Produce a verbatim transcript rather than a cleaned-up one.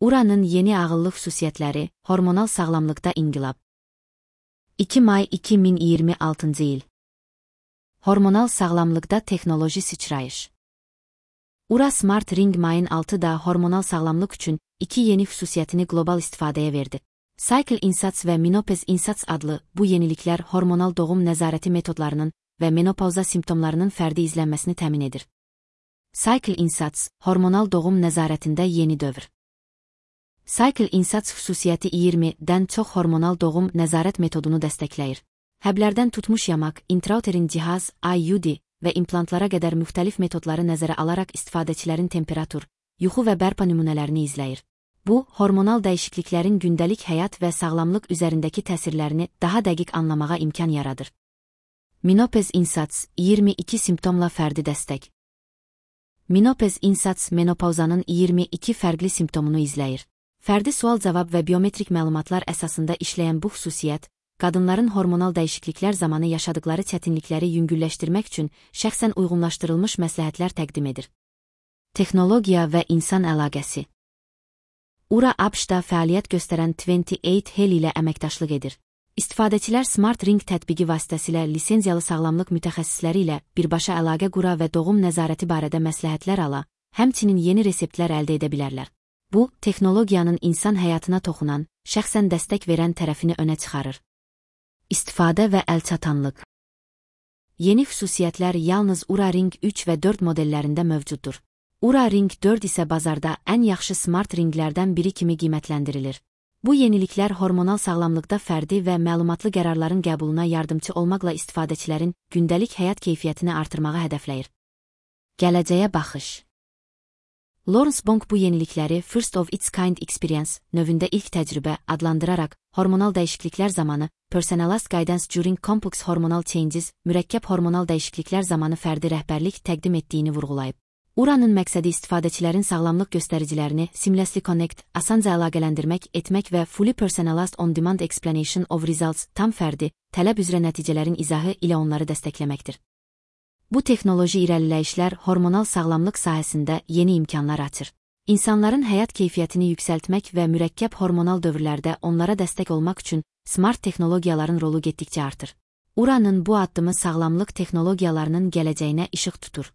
Ura'nın yeni ağıllı xüsusiyyətləri, hormonal sağlamlıqda inqilab. iki may iki min iyirmi altıncı il. Hormonal sağlamlıqda texnoloji sıçrayış. Ura Smart Ring mayın altıda hormonal sağlamlıq üçün iki yeni xüsusiyyətini qlobal istifadəyə verdi. Cycle Insats və Menopause Insats adlı bu yeniliklər hormonal doğum nəzarəti metodlarının və menopauza simptomlarının fərdi izlənməsini təmin edir. Cycle Insats, hormonal doğum nəzarətində yeni dövr. Cycle Insats xüsusiyyəti iyirmidən çox hormonal doğum nəzarət metodunu dəstəkləyir. Həblərdən tutmuş yamaq, intrauterin cihaz, I U D və implantlara qədər müxtəlif metodları nəzərə alaraq istifadəçilərin temperatur, yuxu və bərpa nümunələrini izləyir. Bu, hormonal dəyişikliklərin gündəlik həyat və sağlamlıq üzərindəki təsirlərini daha dəqiq anlamağa imkan yaradır. Menopause Insats, iyirmi iki simptomla fərdi dəstək. Menopause Insats menopauzanın iyirmi iki fərqli simptomunu izləyir. Fərdi sual-cavab və biometrik məlumatlar əsasında işləyən bu xüsusiyyət, qadınların hormonal dəyişikliklər zamanı yaşadıkları çətinlikləri yüngülləşdirmək üçün şəxsən uyğunlaşdırılmış məsləhətlər təqdim edir. Texnologiya və insan əlaqəsi. Ura A B Ş-da fəaliyyət göstərən iyirmi səkkiz Health ilə əməkdaşlıq edir. İstifadəçilər Smart Ring tətbiqi vasitəsilə lisenziyalı sağlamlıq mütəxəssisləri ilə birbaşa əlaqə qura və doğum nəzarəti barədə məsləhətlər ala, həmçinin yeni reseptlər əldə edə bilərlər. Bu, texnologiyanın insan həyatına toxunan, şəxsən dəstək verən tərəfini önə çıxarır. İstifadə və əlçatanlıq. Yeni xüsusiyyətlər yalnız Ura Ring üç və dörd modellərində mövcuddur. Ura Ring dörd isə bazarda ən yaxşı smart ringlərdən biri kimi qiymətləndirilir. Bu yeniliklər hormonal sağlamlıqda fərdi və məlumatlı qərarların qəbuluna yardımçı olmaqla istifadəçilərin gündəlik həyat keyfiyyətini artırmağı hədəfləyir. Gələcəyə baxış. Lawrence Bonk bu yenilikləri First of its kind experience növündə ilk təcrübə adlandıraraq, hormonal dəyişikliklər zamanı, personalized guidance during complex hormonal changes, mürəkkəb hormonal dəyişikliklər zamanı fərdi rəhbərlik təqdim etdiyini vurğulayıb. Ura'nın məqsədi istifadəçilərin sağlamlıq göstəricilərini seamlessly connect, asanca əlaqələndirmək etmək və fully personalized on-demand explanation of results, tam fərdi, tələb üzrə nəticələrin izahı ilə onları dəstəkləməkdir. Bu texnoloji irəliləyişlər hormonal sağlamlıq sahəsində yeni imkanlar açır. İnsanların həyat keyfiyyətini yüksəltmək və mürəkkəb hormonal dövrlərdə onlara dəstək olmaq üçün smart texnologiyaların rolu getdikcə artır. Ura'nın bu addımı sağlamlıq texnologiyalarının gələcəyinə işıq tutur.